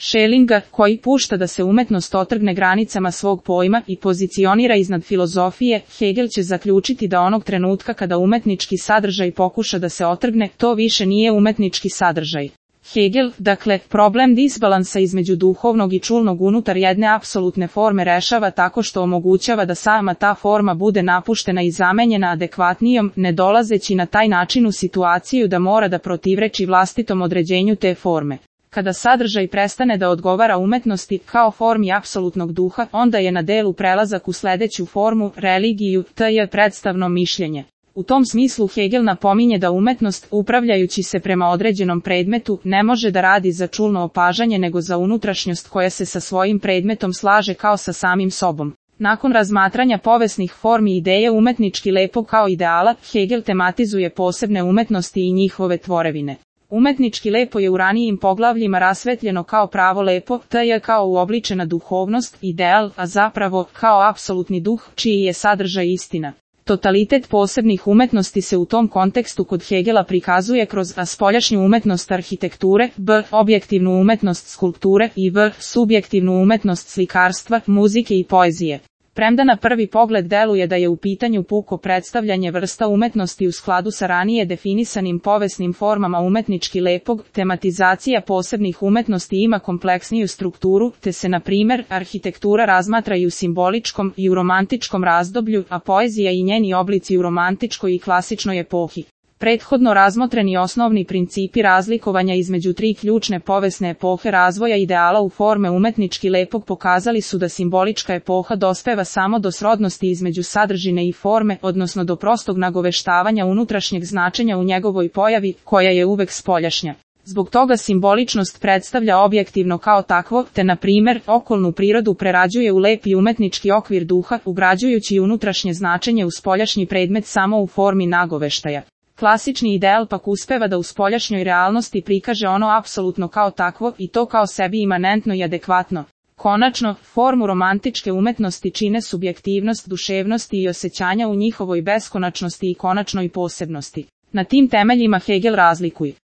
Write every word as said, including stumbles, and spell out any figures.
Schellinga, koji pušta da se umetnost otrgne granicama svog pojma i pozicionira iznad filozofije, Hegel će zaključiti da onog trenutka kada umetnički sadržaj pokuša da se otrgne, to više nije umetnički sadržaj. Hegel, dakle, problem disbalansa između duhovnog i čulnog unutar jedne apsolutne forme rešava tako što omogućava da sama ta forma bude napuštena i zamenjena adekvatnijom, ne dolazeći na taj način u situaciju da mora da protivreči vlastitom određenju te forme. Kada sadržaj prestane da odgovara umetnosti kao formi apsolutnog duha, onda je na delu prelazak u sledeću formu, religiju, to je predstavno mišljenje. U tom smislu Hegel napominje da umetnost, upravljajući se prema određenom predmetu, ne može da radi za čulno opažanje nego za unutrašnjost koja se sa svojim predmetom slaže kao sa samim sobom. Nakon razmatranja povesnih formi ideje umetnički lepog kao ideala, Hegel tematizuje posebne umetnosti i njihove tvorevine. Umetnički lepo je u ranijim poglavljima rasvetljeno kao pravo lepo, to je kao uobličena duhovnost, ideal, a zapravo kao apsolutni duh, čiji je sadržaj istina. Totalitet posebnih umetnosti se u tom kontekstu kod Hegela prikazuje kroz a spoljašnju umetnost arhitekture, b. objektivnu umetnost skulpture i v. subjektivnu umetnost slikarstva, muzike i poezije. Premda na prvi pogled deluje da je u pitanju puko predstavljanje vrsta umetnosti u skladu sa ranije definisanim povesnim formama umetnički lepog, tematizacija posebnih umetnosti ima kompleksniju strukturu, te se na primer arhitektura razmatra i u simboličkom i u romantičkom razdoblju, a poezija i njeni oblici u romantičkoj i klasičnoj epohi. Prethodno razmotreni osnovni principi razlikovanja između tri ključne povesne epohe razvoja ideala u forme umetnički lepog pokazali su da simbolička epoha dospeva samo do srodnosti između sadržine i forme, odnosno do prostog nagoveštavanja unutrašnjeg značenja u njegovoj pojavi, koja je uvek spoljašnja. Zbog toga simboličnost predstavlja objektivno kao takvo, te na primer, okolnu prirodu prerađuje u lepi umetnički okvir duha, ugrađujući unutrašnje značenje u spoljašnji predmet samo u formi nagoveštaja. Klasični ideal pak uspeva da u spoljašnjoj realnosti prikaže ono apsolutno kao takvo i to kao sebi imanentno i adekvatno. Konačno, formu romantičke umetnosti čine subjektivnost, duševnosti i osjećanja u njihovoj beskonačnosti i konačnoj posebnosti. Na tim temeljima Hegel razlikuje